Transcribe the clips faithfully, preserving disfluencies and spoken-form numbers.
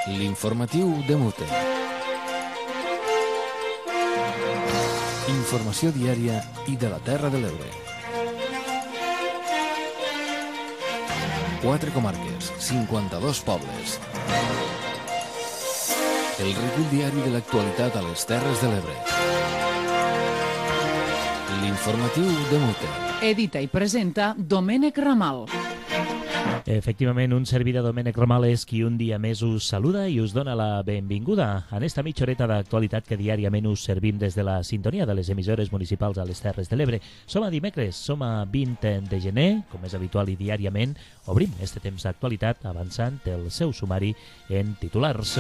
L'informatiu de Mute. Informació diària i de la Terra de l'Ebre. Quatre comarques, cinquanta-dos pobles. El recull diari de l'actualitat a les Terres de l'Ebre. L'informatiu de Mute. Edita i presenta Domènec Ramal. Efectivament, un servidor Domènec Ramal és qui un dia més us saluda i us dona la benvinguda en esta mitja horeta d'actualitat que diàriament us servim des de la sintonia de les emissores municipals a les Terres de l'Ebre. Som a dimecres, som a vint de gener, com és habitual i diàriament, obrim este temps d'actualitat avançant el seu sumari en titulars.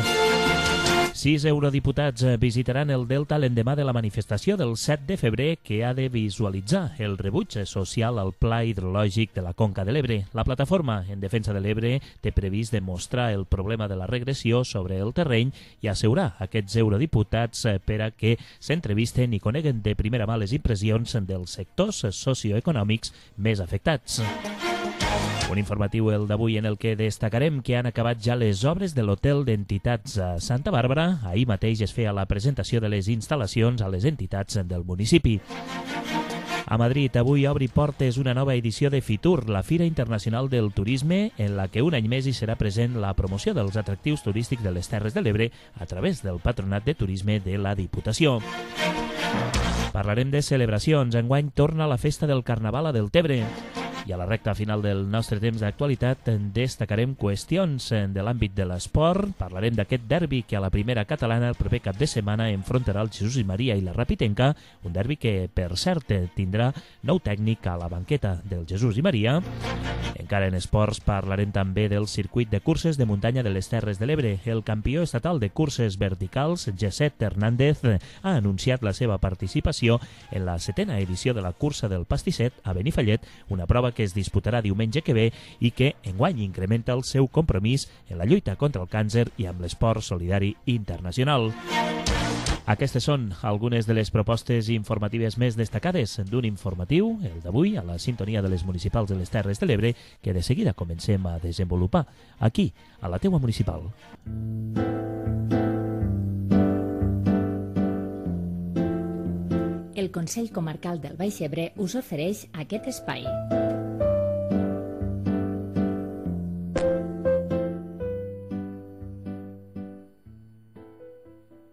Sis eurodiputats visitaran el Delta l'endemà de la manifestació del set de febrer que ha de visualitzar el rebuig social al Pla Hidrològic de la Conca de l'Ebre. La plataforma en defensa de l'Ebre té previst demostrar el problema de la regressió sobre el terreny i assegurar aquests eurodiputats per a que s'entrevisten i coneguen de primera mà les impressions dels sectors socioeconòmics més afectats. Un informatiu, el d'avui, en el que destacarem que han acabat ja les obres de l'Hotel d'Entitats a Santa Bàrbara. Ahir mateix es feia la presentació de les instal·lacions a les entitats del municipi. A Madrid, avui obri portes una nova edició de Fitur, la Fira Internacional del Turisme, en la que un any més hi serà present la promoció dels atractius turístics de les Terres de l'Ebre a través del Patronat de Turisme de la Diputació. Parlarem de celebracions. Enguany torna la festa del Carnaval a Deltebre. I a la recta final del nostre temps d'actualitat destacarem qüestions de l'àmbit de l'esport. Parlarem d'aquest derbi que a la primera catalana el proper cap de setmana enfrontarà el Jesús i Maria i la Rapitenca, un derbi que, per cert, tindrà nou tècnic a la banqueta del Jesús i Maria. Encara en esports parlarem també del circuit de curses de muntanya de les Terres de l'Ebre. El campió estatal de curses verticals, Gesset Hernández, ha anunciat la seva participació en la setena edició de la cursa del Pastisset a Benifallet, una prova que es disputarà diumenge que ve i que enguany incrementa el seu compromís en la lluita contra el càncer i amb l'esport solidari internacional. Aquestes són algunes de les propostes informatives més destacades d'un informatiu, el d'avui, a la sintonia de les municipals de les Terres de l'Ebre, que de seguida comencem a desenvolupar aquí, a la teua municipal. El Consell Comarcal del Baix Ebre us ofereix aquest espai.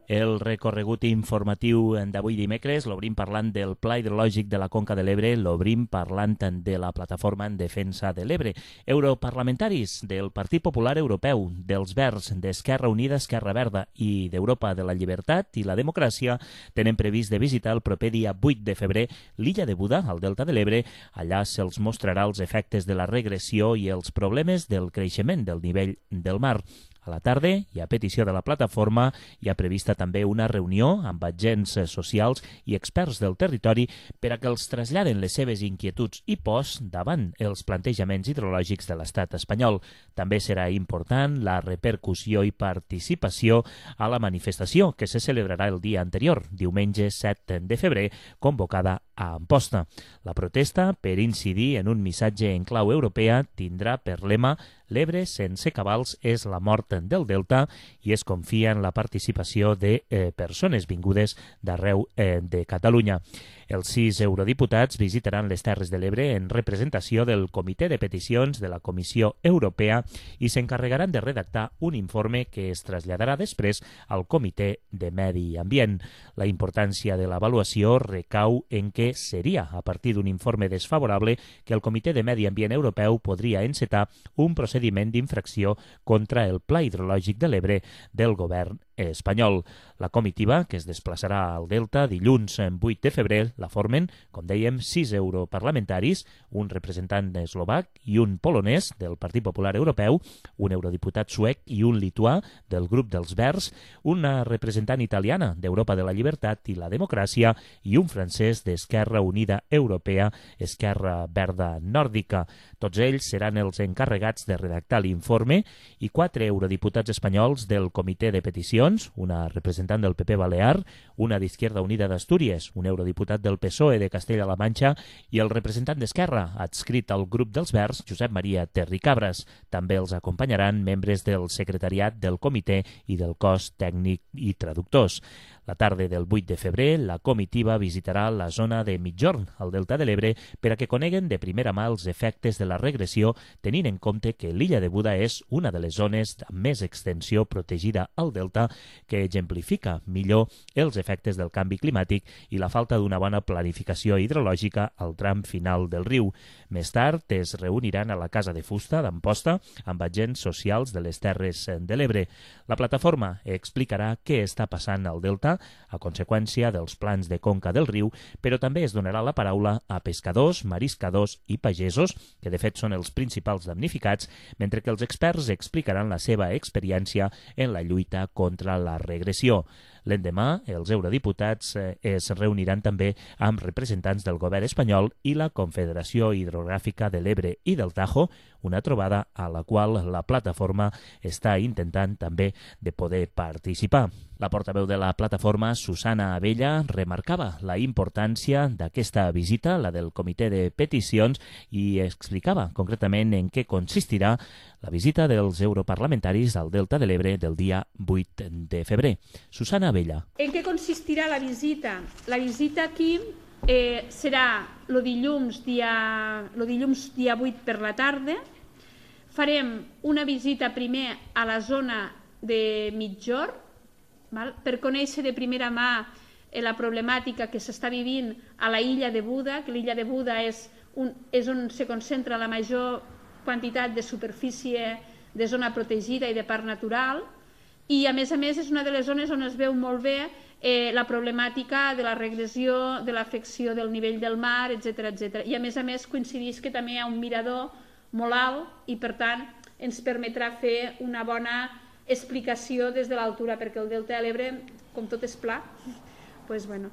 El recorregut informatiu d'avui dimecres l'obrim parlant del Pla Hidrològic de la Conca de l'Ebre, l'obrim parlant de la Plataforma en Defensa de l'Ebre. Europarlamentaris del Partit Popular Europeu, dels Verds, d'Esquerra Unida, Esquerra Verda i d'Europa de la Llibertat i la Democràcia tenen previst de visitar el proper dia vuit de febrer l'illa de Buda, al Delta de l'Ebre. Allà se'ls mostrarà els efectes de la regressió i els problemes del creixement del nivell del mar. A la tarda, i a petició de la plataforma, hi ha prevista també una reunió amb agents socials i experts del territori per a que els traslladen les seves inquietuds i pors davant els plantejaments hidrològics de l'estat espanyol. També serà important la repercussió i participació a la manifestació que se celebrarà el dia anterior, diumenge set de febrer, convocada a Amposta. La protesta, per incidir en un missatge en clau europea, tindrà per lema «L'Ebre sense cabals és la mort del Delta» i es confia en la participació de eh, persones vingudes d'arreu eh, de Catalunya. Els sis eurodiputats visitaran les Terres de l'Ebre en representació del Comitè de Peticions de la Comissió Europea i s'encarregaran de redactar un informe que es traslladarà després al Comitè de Medi Ambient. La importància de l'avaluació recau en què seria a partir d'un informe desfavorable que el Comitè de Medi Ambient Europeu podria encetar un procediment d'infracció contra el Pla Hidrològic de l'Ebre del govern espanyol. La comitiva, que es desplaçarà al Delta dilluns vuit de febrer, la formen, com dèiem, sis europarlamentaris, un representant eslovac i un polonès del Partit Popular Europeu, un eurodiputat suec i un lituà del grup dels Verds, una representant italiana d'Europa de la Llibertat i la Democràcia i un francès d'Esquerra Unida Europea, Esquerra Verda Nòrdica. Tots ells seran els encarregats de redactar l'informe i quatre eurodiputats espanyols del Comitè de Peticions Peticions, una representant del P P Balear, una d'Izquierda Unida d'Astúries, un eurodiputat del P S O E de Castella-La Manxa i el representant d'Esquerra, adscrit al grup dels Verds, Josep Maria Terricabras. També els acompanyaran membres del secretariat del comitè i del cos tècnic i traductors. La tarda del vuit de febrer, la comitiva visitarà la zona de Migjorn, al Delta de l'Ebre, per a que coneguen de primera mà els efectes de la regressió, tenint en compte que l'illa de Buda és una de les zones amb més extensió protegida al Delta, que exemplifica millor els efectes del canvi climàtic i la falta d'una bona planificació hidrològica al tram final del riu. Més tard es reuniran a la Casa de Fusta d'Amposta amb agents socials de les Terres de l'Ebre. La plataforma explicarà què està passant al Delta a conseqüència dels plans de conca del riu, però també es donarà la paraula a pescadors, mariscadors i pagesos, que de fet són els principals damnificats, mentre que els experts explicaran la seva experiència en la lluita contra la regressió. L'endemà, els eurodiputats es reuniran també amb representants del govern espanyol i la Confederació Hidrogràfica de l'Ebre i del Tajo, una trobada a la qual la plataforma està intentant també de poder participar. La portaveu de la plataforma, Susana Abella, remarcava la importància d'aquesta visita, la del comitè de peticions, i explicava concretament en què consistirà la visita dels europarlamentaris al Delta de l'Ebre del dia vuit de febrer. Susana Abella. En què consistirà la visita? La visita aquí eh, serà el dilluns, dia, lo dilluns dia vuit per la tarda. Farem una visita primer a la zona de Migjorn, val? Per conèixer de primera mà eh, la problemàtica que s'està vivint a la illa de Buda, que l'illa de Buda és, un, és on se concentra la major quantitat de superfície de zona protegida i de parc natural, i a més a més és una de les zones on es veu molt bé eh, la problemàtica de la regressió, de l'afecció del nivell del mar, etcètera, etcètera. I a més a més coincideix que també hi ha un mirador molt alt i per tant ens permetrà fer una bona explicació des de l'altura, perquè el Delta de l'Ebre, com tot és pla, doncs, bueno.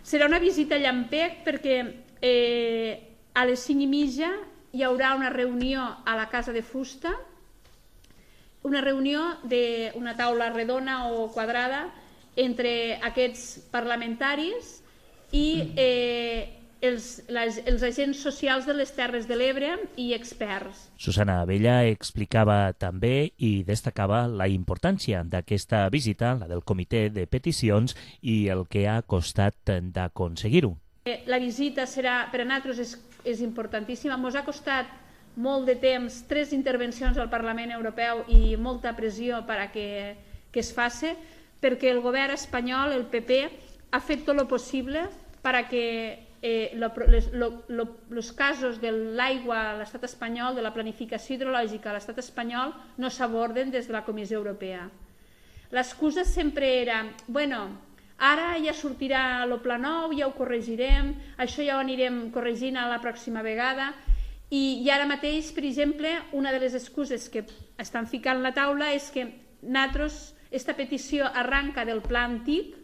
Serà una visita llampec perquè eh, a les cinc i mitja hi haurà una reunió a la Casa de Fusta, una reunió d'una taula redona o quadrada entre aquests parlamentaris i eh, els, les, els agents socials de les Terres de l'Ebre i experts. Susana Abella explicava també i destacava la importància d'aquesta visita, la del comitè de peticions, i el que ha costat d'aconseguir-ho. La visita serà, per a nosaltres és, és importantíssima. Ens ha costat molt de temps, tres intervencions al Parlament Europeu i molta pressió per a que, que es faci, perquè el govern espanyol, el P P, ha fet tot el possible per a que eh, els casos de l'aigua a l'estat espanyol, de la planificació hidrològica a l'estat espanyol, no s'aborden des de la Comissió Europea. L'excusa sempre era, bueno, ara ja sortirà el pla nou, ja ho corregirem, això ja ho anirem corregint a la pròxima vegada, i, i ara mateix, per exemple, una de les excuses que estan ficant a la taula és que nosaltres, aquesta petició arranca del pla antic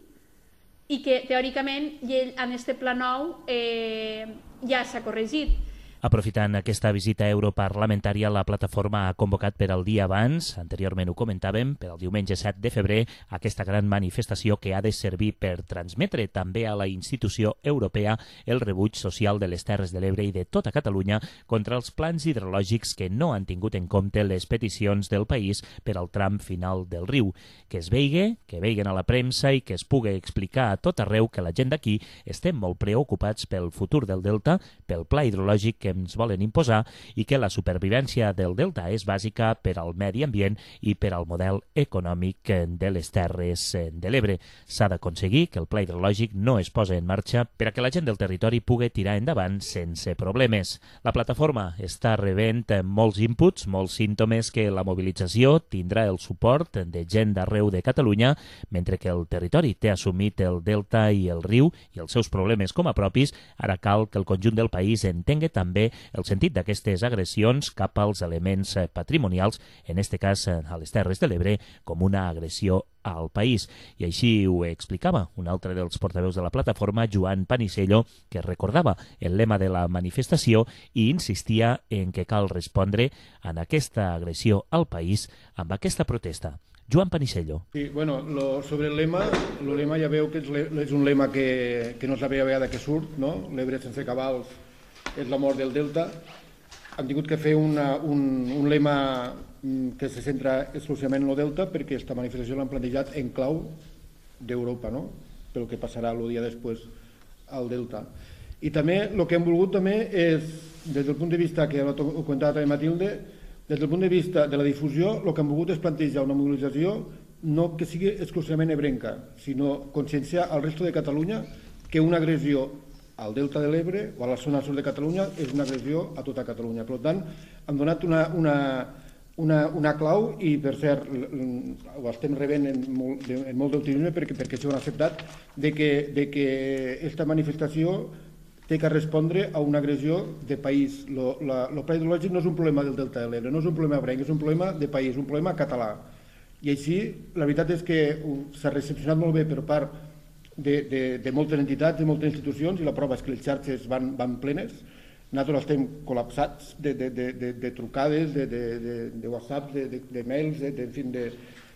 i que teòricament en aquest pla nou eh, ja s'ha corregit. Aprofitant aquesta visita europarlamentària, la plataforma ha convocat per al dia abans, anteriorment ho comentàvem, per al diumenge set de febrer, aquesta gran manifestació que ha de servir per transmetre també a la institució europea el rebuig social de les Terres de l'Ebre i de tota Catalunya contra els plans hidrològics que no han tingut en compte les peticions del país per al tram final del riu. Que es veigui, que veiguen a la premsa i que es pugui explicar a tot arreu que la gent d'aquí estem molt preocupats pel futur del Delta, pel pla hidrològic que ens volen imposar i que la supervivència del Delta és bàsica per al medi ambient i per al model econòmic de les Terres de l'Ebre. S'ha d'aconseguir que el pla hidrològic no es posi en marxa per a que la gent del territori pugui tirar endavant sense problemes. La plataforma està rebent molts inputs, molts símptomes que la mobilització tindrà el suport de gent d'arreu de Catalunya, mentre que el territori té assumit el Delta i el riu i els seus problemes com a propis. Ara cal que el conjunt del país entengui també també el sentit d'aquestes agressions cap als elements patrimonials, en este cas a les Terres de l'Ebre, com una agressió al país. I així ho explicava un altre dels portaveus de la plataforma, Joan Panisello, que recordava el lema de la manifestació i insistia en que cal respondre en aquesta agressió al país amb aquesta protesta. Joan Panisello. Sí, bueno, lo, sobre el lema, el lema ja veu que és, le, és un lema que, que no és la primera vegada que surt, no? L'Ebre sense cabals és la mort del Delta. Han tingut que fer una, un, un lema que se centra exclusivament en el Delta perquè aquesta manifestació l'han plantejat en clau d'Europa, no? Pel que passarà el dia després al Delta. I també el que hem volgut també és, des del punt de vista que ho comentava també Matilde, des del punt de vista de la difusió, el que hem volgut és plantejar una mobilització no que sigui exclusivament ebrenca, sinó conscienciar al resto de Catalunya que una agressió al Delta de l'Ebre o a la zona sud de Catalunya és una agressió a tota Catalunya. Per tant, hem donat una, una, una, una clau i, per cert, ho estem rebent en molt, en molt d'optimisme perquè, perquè s'ho han acceptat, de que, de que aquesta manifestació té que respondre a una agressió de país. El pla hidrològic no és un problema del Delta de l'Ebre, no és un problema ebrenc, és un problema de país, un problema català. I així, la veritat és que s'ha recepcionat molt bé per part de, de, de moltes entitats, de moltes institucions, i la prova és que les xarxes van, van plenes. Nosaltres estem col·lapsats de, de, de, de, de trucades, de, de, de, de WhatsApp, de, de, de mails, de, de, en fi, de,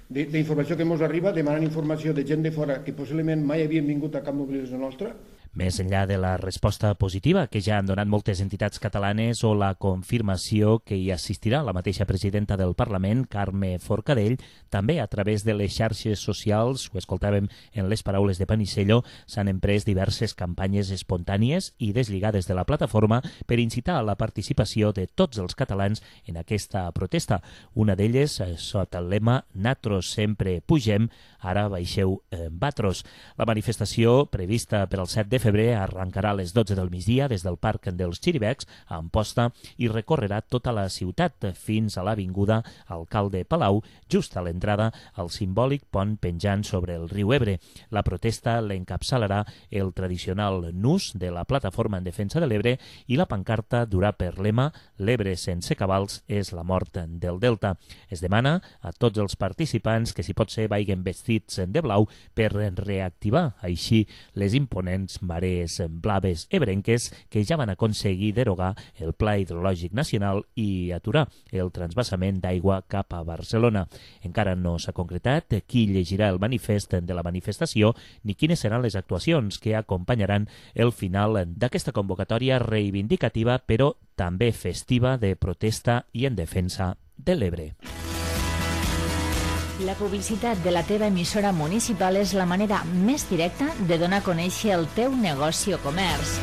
de, d'informació que ens arriba, demanant informació de gent de fora que possiblement mai havien vingut a cap mobilització nostra. Més enllà de la resposta positiva que ja han donat moltes entitats catalanes o la confirmació que hi assistirà la mateixa presidenta del Parlament, Carme Forcadell, també a través de les xarxes socials, ho escoltàvem en les paraules de Panisello, s'han emprès diverses campanyes espontànies i deslligades de la plataforma per incitar a la participació de tots els catalans en aquesta protesta. Una d'elles sota el lema «Natros sempre pugem, ara baixeu eh, batros». La manifestació prevista per al set de febrer arrencarà a les dotze del migdia des del Parc dels Xiribecs a Amposta i recorrerà tota la ciutat fins a l'avinguda Alcalde Palau, just a l'entrada al simbòlic pont penjant sobre el riu Ebre. La protesta l'encapçalarà el tradicional nus de la Plataforma en Defensa de l'Ebre i la pancarta durà per lema «L'Ebre sense cabals és la mort del Delta». Es demana a tots els participants que, si pot ser, vagin vestits de blau per reactivar així les imponents marees blaves ebrenques que ja van aconseguir derogar el Pla Hidrològic Nacional i aturar el transvasament d'aigua cap a Barcelona. Encara no s'ha concretat qui llegirà el manifest de la manifestació ni quines seran les actuacions que acompanyaran el final d'aquesta convocatòria reivindicativa però també festiva de protesta i en defensa de l'Ebre. La publicitat de la teva emissora municipal és la manera més directa de donar a conèixer el teu negoci o comerç.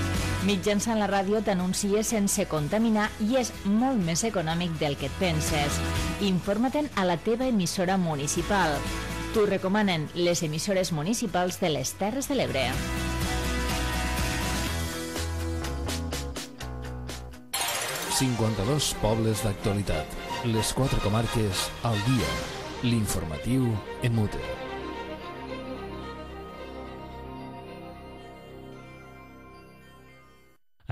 Mitjançant la ràdio t'anuncies sense contaminar i és molt més econòmic del que et penses. Informa-te'n a la teva emissora municipal. T'ho recomanen les emissores municipals de les Terres de l'Ebre. cinquanta-dos pobles d'actualitat. Les quatre comarques al dia. L'informatiu en mute.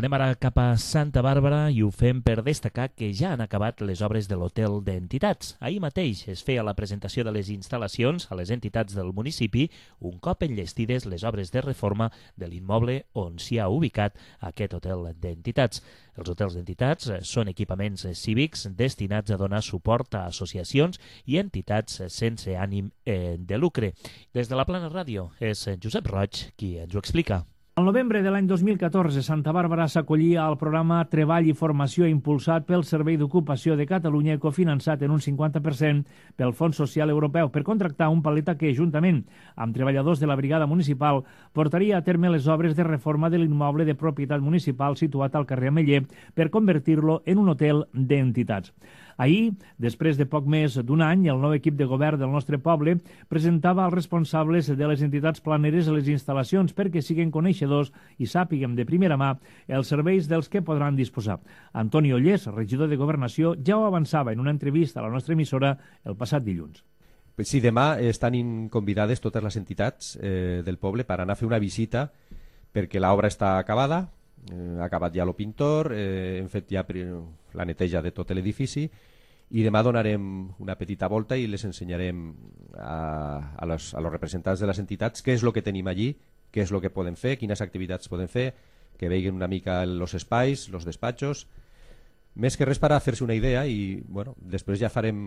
Anem ara cap a Santa Bàrbara i ho fem per destacar que ja han acabat les obres de l'hotel d'entitats. Ahir mateix es feia la presentació de les instal·lacions a les entitats del municipi un cop enllestides les obres de reforma de l'immoble on s'hi ha ubicat aquest hotel d'entitats. Els hotels d'entitats són equipaments cívics destinats a donar suport a associacions i entitats sense ànim de lucre. Des de la Plana Ràdio és Josep Roig qui ens ho explica. Al novembre de l'any dos mil catorze, Santa Bàrbara s'acollia al programa Treball i Formació impulsat pel Servei d'Ocupació de Catalunya i cofinançat en un cinquanta per cent pel Fons Social Europeu per contractar un paleta que, juntament amb treballadors de la brigada municipal, portaria a terme les obres de reforma de l'immoble de propietat municipal situat al carrer Ameller per convertir-lo en un hotel d'entitats. Ahir, després de poc més d'un any, el nou equip de govern del nostre poble presentava als responsables de les entitats planeres a les instal·lacions perquè siguen coneixedors i sàpiguen de primera mà els serveis dels que podran disposar. Antoni Ollés, regidor de Governació, ja ho avançava en una entrevista a la nostra emissora el passat dilluns. Sí, demà estan convidades totes les entitats eh, del poble per anar a fer una visita perquè l'obra està acabada, eh, ha acabat ja el pintor, eh, hem fet ja la neteja de tot l'edifici i demà donarem una petita volta i les ensenyarem a, a, los, a los representants de les entitats què és el que tenim allí, què és el que podem fer, quines activitats podem fer, que veguin una mica els espais, els despatxos, més que res per a fer-se una idea i bueno, després ja farem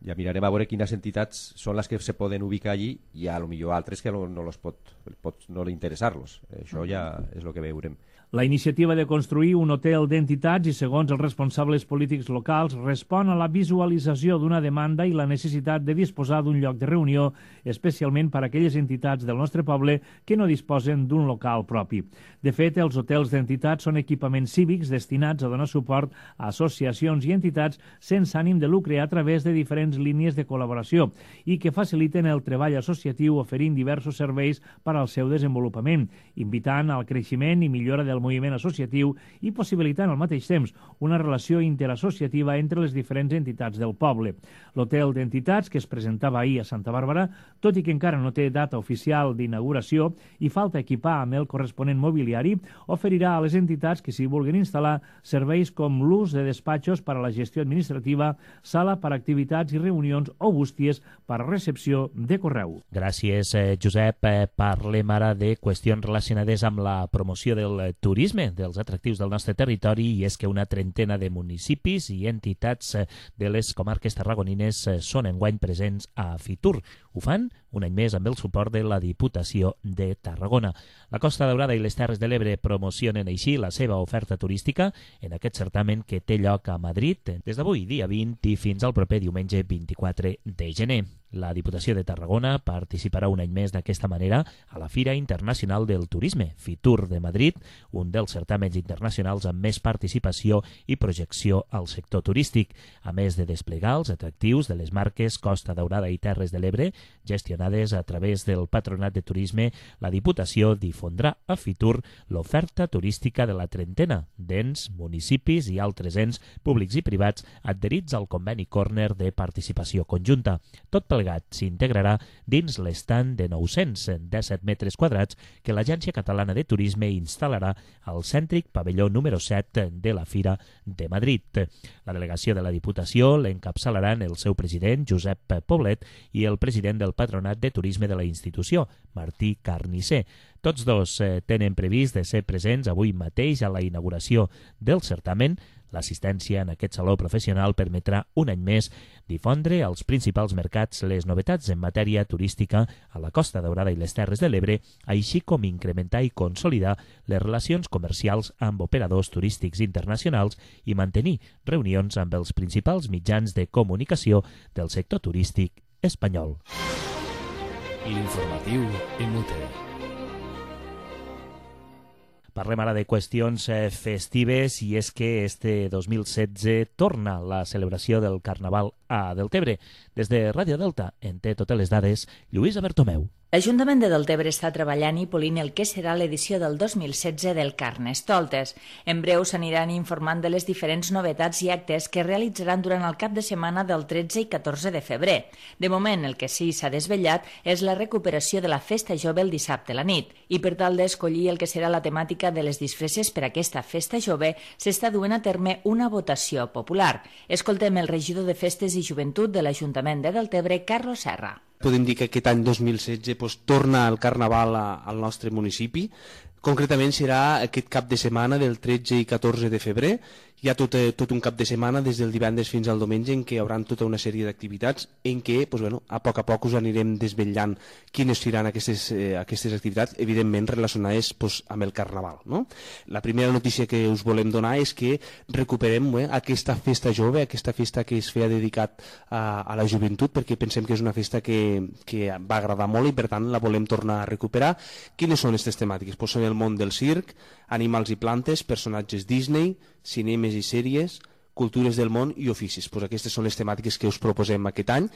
ja mirarem a veure quines entitats són les que se poden ubicar allí i a lo millor altres que no, no los pot, pot no interessar-los, això ja és el que veurem. La iniciativa de construir un hotel d'entitats i, segons els responsables polítics locals, respon a la visualització d'una demanda i la necessitat de disposar d'un lloc de reunió, especialment per a aquelles entitats del nostre poble que no disposen d'un local propi. De fet, els hotels d'entitats són equipaments cívics destinats a donar suport a associacions i entitats sense ànim de lucre a través de diferents línies de col·laboració i que faciliten el treball associatiu oferint diversos serveis per al seu desenvolupament, invitant al creixement i millora del moviment associatiu i possibilitant al mateix temps una relació interassociativa entre les diferents entitats del poble. L'hotel d'entitats, que es presentava ahir a Santa Bàrbara, tot i que encara no té data oficial d'inauguració i falta equipar amb el corresponent mobiliari, oferirà a les entitats que s'hi vulguin instal·lar serveis com l'ús de despatxos per a la gestió administrativa, sala per a activitats i reunions o bústies per a recepció de correu. Gràcies, eh, Josep. Eh, parlem ara de qüestions relacionades amb la promoció del turisme, dels atractius del nostre territori, i és que una trentena de municipis i entitats de les comarques tarragonines són enguany presents a Fitur. Ho fan un any més amb el suport de la Diputació de Tarragona. La Costa Daurada i les Terres de l'Ebre promocionen així la seva oferta turística en aquest certamen que té lloc a Madrid des d'avui, dia vint, i fins al proper diumenge vint-i-quatre de gener. La Diputació de Tarragona participarà un any més d'aquesta manera a la Fira Internacional del Turisme, Fitur de Madrid, un dels certàmens internacionals amb més participació i projecció al sector turístic, a més de desplegar els atractius de les marques Costa Daurada i Terres de l'Ebre, gestionades a través del Patronat de Turisme. La Diputació difondrà a Fitur l'oferta turística de la trentena d'ens, municipis i altres ens públics i privats adherits al conveni Corner de participació conjunta. Tot plegat s'integrarà dins l'estand de nou-cents disset metres quadrats que l'Agència Catalana de Turisme instal·larà al cèntric pavelló número set de la Fira de Madrid. La delegació de la Diputació l'encapçalaran el seu president, Josep Poblet, i el president del Patronat de Turisme de la institució, Martí Carnisser. Tots dos eh, tenen previst de ser presents avui mateix a la inauguració del certamen. L'assistència en aquest saló professional permetrà un any més difondre als principals mercats les novetats en matèria turística a la Costa Daurada i les Terres de l'Ebre, així com incrementar i consolidar les relacions comercials amb operadors turístics internacionals i mantenir reunions amb els principals mitjans de comunicació del sector turístic espanyol. L'informatiu en U T E. Parlem ara de qüestions eh, festives, i és que este dos mil setze torna la celebració del Carnaval a Deltebre. Des de Ràdio Delta en té totes les dades Lluïsa Bertomeu. L'Ajuntament de Deltebre està treballant i polint el que serà l'edició del dos mil setze del Carnestoltes. En breu s'aniran informant de les diferents novetats i actes que realitzaran durant el cap de setmana del tretze i catorze de febrer. De moment, el que sí s'ha desvetllat és la recuperació de la festa jove el dissabte a la nit, i per tal d'escollir el que serà la temàtica de les disfresses per a aquesta festa jove s'està duent a terme una votació popular. Escoltem el regidor de Festes i Joventut de l'Ajuntament de Deltebre, Carlos Serra. Podem dir que aquest any dos mil setze doncs, torna el Carnaval a, al nostre municipi. Concretament serà aquest cap de setmana del tretze i catorze de febrer. Hi ha tot, tot un cap de setmana des del divendres fins al diumenge en què hi haurà tota una sèrie d'activitats en què doncs, bueno, a poc a poc us anirem desvetllant quines seran aquestes, eh, aquestes activitats, evidentment relacionades doncs, amb el Carnaval. No? La primera notícia que us volem donar és que recuperem eh, aquesta festa jove, aquesta festa que es feia dedicat a, a la joventut, perquè pensem que és una festa que, que va agradar molt i per tant la volem tornar a recuperar. Quines són aquestes temàtiques? Pues són el món del circ, animals i plantes, personatges Disney, cinemes i sèries, cultures del món i oficis. Pues aquestes són les temàtiques que us proposem aquest any.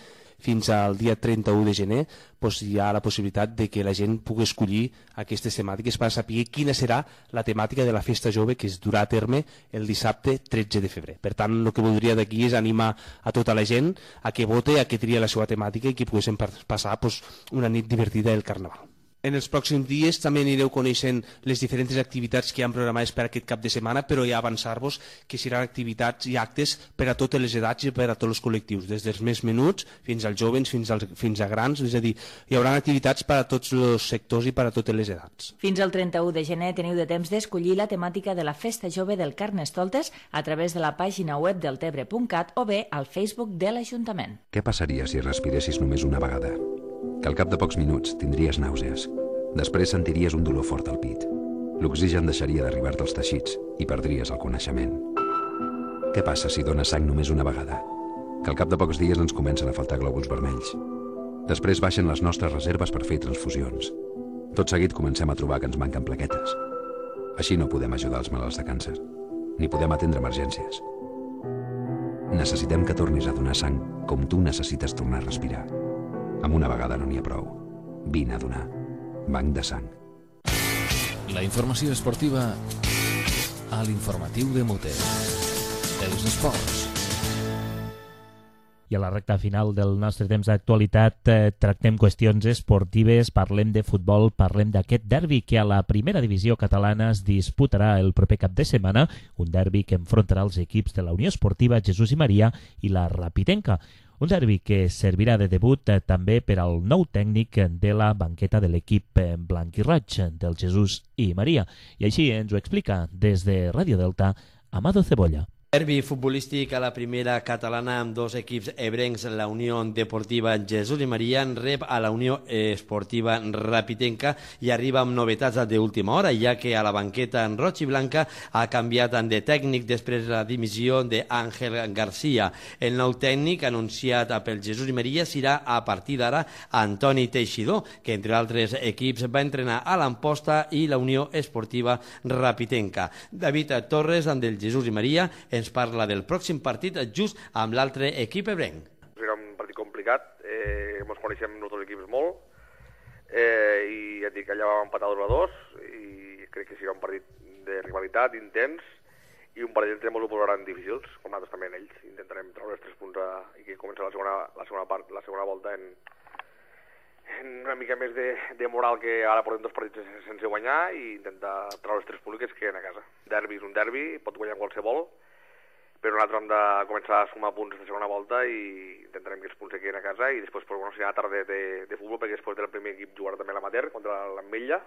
Fins al dia trenta-u de gener pues hi ha la possibilitat de que la gent pugui escollir aquestes temàtiques per saber quina serà la temàtica de la festa jove que es durà a terme el dissabte tretze de febrer. Per tant, el que voldria d'aquí és animar a tota la gent a que vote, a que tria la seva temàtica i que poguéssim passar pues, una nit divertida del Carnaval. En els pròxims dies també anireu coneixent les diferents activitats que hi ha programades per aquest cap de setmana, però ja avançar-vos que seran activitats i actes per a totes les edats i per a tots els col·lectius, des dels més menuts fins als joves, fins, als, fins a grans, és a dir, hi haurà activitats per a tots els sectors i per a totes les edats. Fins al trenta-u de gener teniu de temps d'escollir la temàtica de la Festa Jove del Carnestoltes a través de la pàgina web del tebre punt cat o bé al Facebook de l'Ajuntament. Què passaria si respiressis només una vegada? Que al cap de pocs minuts tindries nàusees. Després sentiries un dolor fort al pit. L'oxigen deixaria d'arribar-te als teixits i perdries el coneixement. Què passa si dones sang només una vegada? Que al cap de pocs dies ens comencen a faltar glòbuls vermells. Després baixen les nostres reserves per fer transfusions. Tot seguit comencem a trobar que ens manquen plaquetes. Així no podem ajudar els malalts de càncer, ni podem atendre emergències. Necessitem que tornis a donar sang com tu necessites tornar a respirar. Amb una vegada no n'hi ha prou. Vine a donar. Banc de sang. La informació esportiva a l'informatiu de Mote. Els esports. I a la recta final del nostre temps d'actualitat eh, tractem qüestions esportives, parlem de futbol, parlem d'aquest derbi que a la primera divisió catalana es disputarà el proper cap de setmana, un derbi que enfrontarà els equips de la Unió Esportiva Jesús i Maria i la Rapitenca. Un derbi que servirà de debut eh, també per al nou tècnic de la banqueta de l'equip eh, blanc i roig del Jesús i Maria. I així ens ho explica des de Ràdio Delta, Amado Cebolla. Derbi futbolístic a la primera catalana amb dos equips ebrencs, la Unió Deportiva Jesús i Maria rep a la Unió Esportiva Rapitenca i arriba amb novetats d'última hora, ja que a la banqueta en roig i blanca ha canviat de tècnic després de la dimissió d'Àngel Garcia. El nou tècnic anunciat pel Jesús i Maria serà a partir d'ara Antoni Teixidor, que entre altres equips va entrenar a l'Amposta i la Unió Esportiva Rapitenca. David Torres, del Jesús i Maria, ens parla del pròxim partit just amb l'altre equip ebrenc. Serà un partit complicat, eh, ens coneixem els dos equips molt, eh, i ja et dic, allà vam empatar dos a dos, i crec que serà un partit de rivalitat, intens, i un partit entre molts ho posaran difícils, com nosaltres també en ells. Intentarem treure els tres punts a, i que comença la segona, la segona part, la segona volta en, en una mica més de, de moral, que ara portem dos partits sense guanyar, i intentar treure els tres punts que es queden a casa. Derbi és un derbi, pot guanyar qualsevol, però nosaltres hem de començar a sumar punts de segona volta i intentarem que els punts se quedin a casa, i després pues, bueno, serà tarda de, de futbol, perquè després del primer equip jugarà també l'amateur contra l'Ametlla,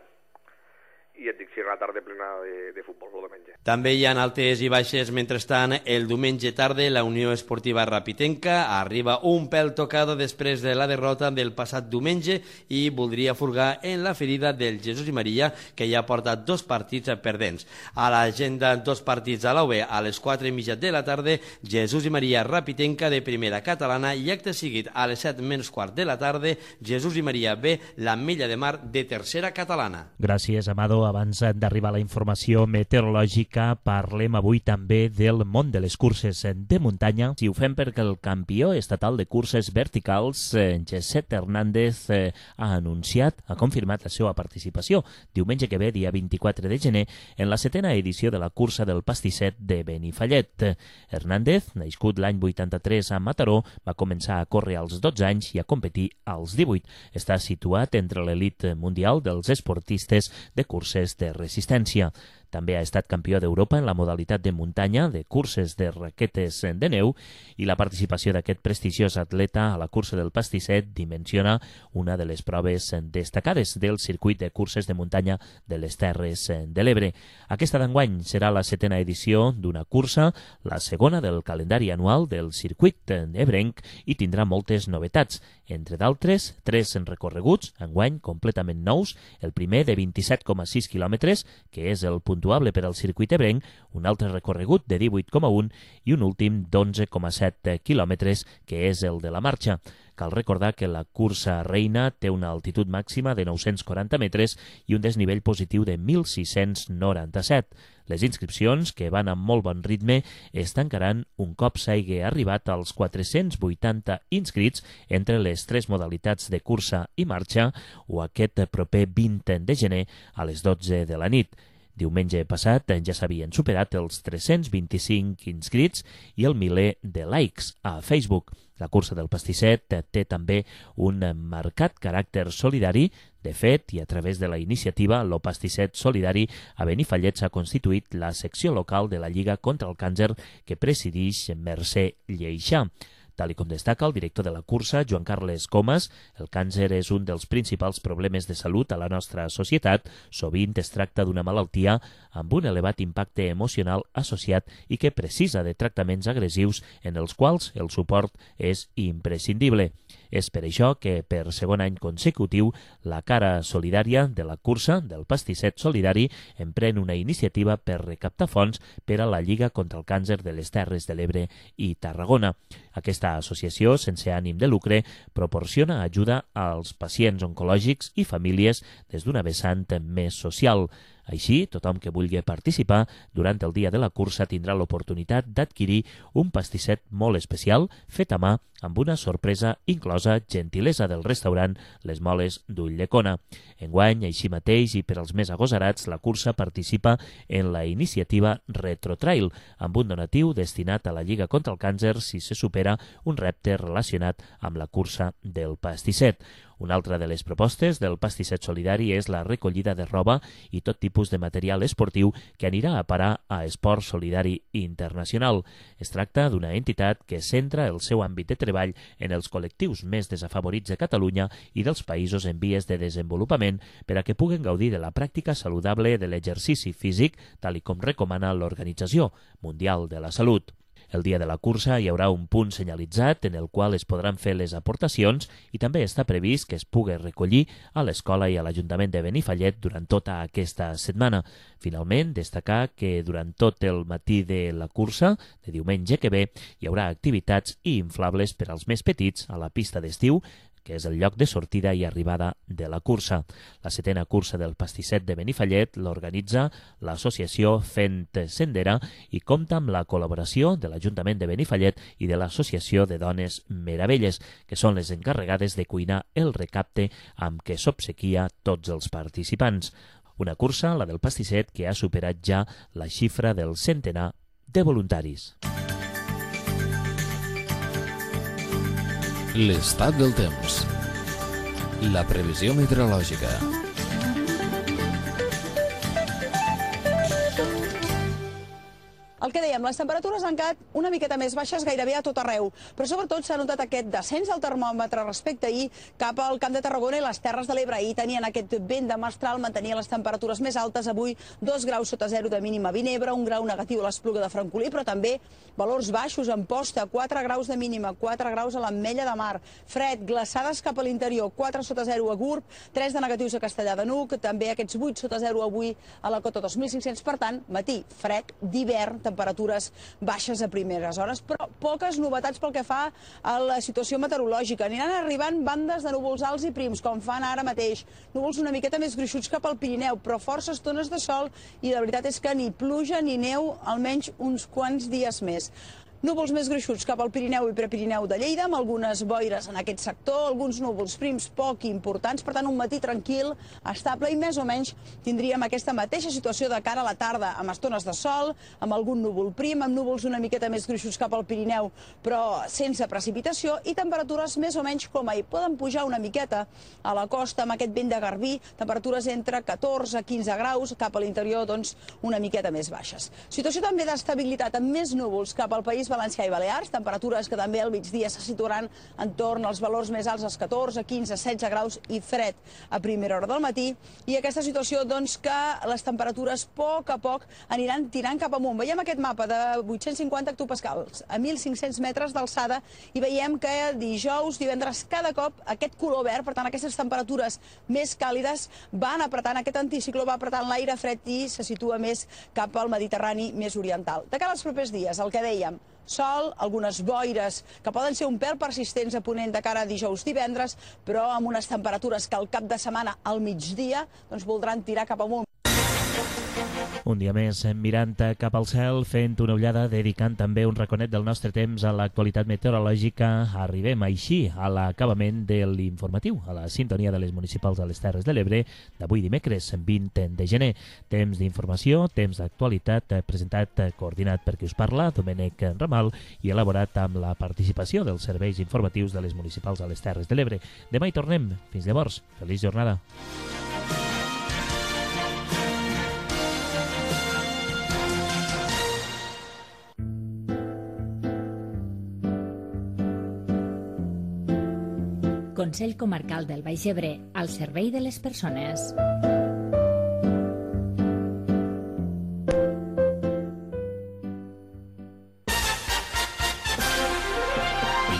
i et dic, si una tarda plena de, de futbol el diumenge. També hi ha altes i baixes. Mentrestant, el diumenge tarda la Unió Esportiva Rapitenca arriba un pèl tocada després de la derrota del passat diumenge i voldria furgar en la ferida del Jesús i Maria, que ja porta dos partits perdents. A l'agenda, dos partits a l'A U B a les quatre i mitja de la tarda, Jesús i Maria Rapitenca de primera catalana, i acte seguit a les set menys quart de la tarda, Jesús i Maria B, l'Ametlla de Mar de tercera catalana. Gràcies, Amado. Abans d'arribar a la informació meteorològica, parlem avui també del món de les curses de muntanya. Si ho fem perquè el campió estatal de curses verticals, Josep Hernández, ha anunciat, ha confirmat la seva participació diumenge que ve, dia vint-i-quatre de gener, en la setena edició de la cursa del pastisset de Benifallet. Hernández, nascut l'any vuitanta-tres a Mataró, va començar a córrer als dotze anys i a competir als divuit. Està situat entre l'elit mundial dels esportistes de curses de resistència. També ha estat campió d'Europa en la modalitat de muntanya de curses de raquetes de neu, i la participació d'aquest prestigiós atleta a la cursa del pastisset dimensiona una de les proves destacades del circuit de curses de muntanya de les Terres de l'Ebre. Aquesta d'enguany serà la setena edició d'una cursa, la segona del calendari anual del circuit ebrenc, i tindrà moltes novetats. Entre d'altres, tres recorreguts, enguany completament nous, el primer de vint-i-set coma sis quilòmetres, que és el puntuable per al circuit ebrenc, un altre recorregut de divuit coma un i un últim d'onze coma set quilòmetres, que és el de la marxa. Cal recordar que la cursa reina té una altitud màxima de nou-cents quaranta metres i un desnivell positiu de mil sis-cents noranta-set. Les inscripcions, que van amb molt bon ritme, es tancaran un cop s'hagi arribat als quatre-cents vuitanta inscrits entre les tres modalitats de cursa i marxa, o aquest proper vint de gener a les dotze de la nit. Diumenge passat ja s'havien superat els tres-cents vint-i-cinc inscrits i el miler de likes a Facebook. La cursa del pastisset té també un marcat caràcter solidari, De fet, i a través de la iniciativa, l'O Pastisset Solidari a Benifallet s'ha constituït la secció local de la Lliga contra el Càncer que presideix Mercè Lleixà. Tal com destaca el director de la cursa, Joan Carles Comas, el càncer és un dels principals problemes de salut a la nostra societat. Sovint es tracta d'una malaltia amb un elevat impacte emocional associat i que precisa de tractaments agressius en els quals el suport és imprescindible. És per això que, per segon any consecutiu, la cara solidària de la cursa del Pastisset Solidari emprèn una iniciativa per recaptar fons per a la Lliga contra el Càncer de les Terres de l'Ebre i Tarragona. Aquesta associació, sense ànim de lucre, proporciona ajuda als pacients oncològics i famílies des d'una vessant més social. Així, tothom que vulgui participar durant el dia de la cursa tindrà l'oportunitat d'adquirir un pastisset molt especial fet a mà amb una sorpresa inclosa gentilesa del restaurant Les Moles d'Ulldecona. Enguany, així mateix, i per als més agosarats, la cursa participa en la iniciativa Retrotrail, amb un donatiu destinat a la Lliga contra el Càncer si se supera un repte relacionat amb la cursa del pastisset. Una altra de les propostes del Pastisset Solidari és la recollida de roba i tot tipus de material esportiu que anirà a parar a Esport Solidari Internacional. Es tracta d'una entitat que centra el seu àmbit de treball en els col·lectius més desafavorits de Catalunya i dels països en vies de desenvolupament per a que puguen gaudir de la pràctica saludable de l'exercici físic, tal com recomana l'Organització Mundial de la Salut. El dia de la cursa hi haurà un punt senyalitzat en el qual es podran fer les aportacions i també està previst que es pugui recollir a l'escola i a l'Ajuntament de Benifallet durant tota aquesta setmana. Finalment, destacar que durant tot el matí de la cursa, de diumenge que ve, hi haurà activitats i inflables per als més petits a la pista d'estiu, que és el lloc de sortida i arribada de la cursa. La setena cursa del pastisset de Benifallet l'organitza l'associació Fent Sendera i compta amb la col·laboració de l'Ajuntament de Benifallet i de l'Associació de Dones Meravelles, que són les encarregades de cuinar el recapte amb què s'obsequia tots els participants. Una cursa, la del pastisset, que ha superat ja la xifra del centenar de voluntaris. L'estat del temps. La previsió meteorològica. El que dèiem, les temperatures han quedat una miqueta més baixes gairebé a tot arreu, però sobretot s'ha notat aquest descens del termòmetre respecte a ahir cap al Camp de Tarragona i les Terres de l'Ebre. Ahir tenien aquest vent de mestral, mantenia les temperatures més altes, avui dos graus sota zero de mínima a Vinebre, un grau negatiu a l'Espluga de Francolí, però també valors baixos en Posta, quatre graus de mínima, quatre graus a l'Ametlla de Mar, fred, glaçades cap a l'interior, quatre sota zero a Gurb, tres de negatius a Castellar de N'Hug, també aquests vuit sota zero avui a la cota dos mil cinc-cents, per tant, matí fred, d'hivern, temperatures baixes a primeres hores, però poques novetats pel que fa a la situació meteorològica. Aniran arribant bandes de núvols alts i prims, com fan ara mateix. Núvols una miqueta més gruixuts cap al Pirineu, però força estones de sol i la veritat és que ni pluja ni neu almenys uns quants dies més. Núvols més gruixuts cap al Pirineu i Prepirineu de Lleida, amb algunes boires en aquest sector, alguns núvols prims poc importants, per tant un matí tranquil, estable i més o menys tindríem aquesta mateixa situació de cara a la tarda, amb estones de sol, amb algun núvol prim, amb núvols una miqueta més gruixuts cap al Pirineu, però sense precipitació i temperatures més o menys com ahir. Poden pujar una miqueta a la costa amb aquest vent de garbí, temperatures entre catorze a quinze graus, cap a l'interior doncs una miqueta més baixes. Situació també d'estabilitat amb més núvols cap al País Valencià i Balears, temperatures que també al migdia se situaran entorn als valors més alts, als catorze, quinze, setze graus i fred a primera hora del matí. I aquesta situació doncs que les temperatures a poc a poc aniran tirant cap amunt. Veiem aquest mapa de vuit-cents cinquanta hectopascals a mil cinc-cents metres d'alçada i veiem que dijous, divendres, cada cop aquest color verd, per tant aquestes temperatures més càlides van apretant, aquest anticicló va apretant l'aire fred i se situa més cap al Mediterrani més oriental. De cara als propers dies, el que dèiem, sol, algunes boires que poden ser un pèl persistents a ponent de cara a dijous, divendres, però amb unes temperatures que al cap de setmana al migdia doncs voldran tirar cap amunt. Un dia més mirant cap al cel, fent una ullada, dedicant també un raconet del nostre temps a l'actualitat meteorològica. Arribem així a l'acabament de l'informatiu, a la sintonia de les municipals de les Terres de l'Ebre, d'avui dimecres vint de gener. Temps d'informació, temps d'actualitat, presentat, coordinat per qui us parla, Domènec Ramal, i elaborat amb la participació dels serveis informatius de les municipals a les Terres de l'Ebre. Demà hi tornem. Fins llavors, feliç jornada. Consell Comarcal del Baix Ebre, al servei de les persones.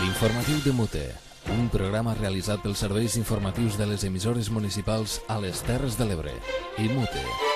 L'informatiu de Mute, un programa realitzat pels serveis informatius de les emissores municipals a les Terres de l'Ebre i Mute.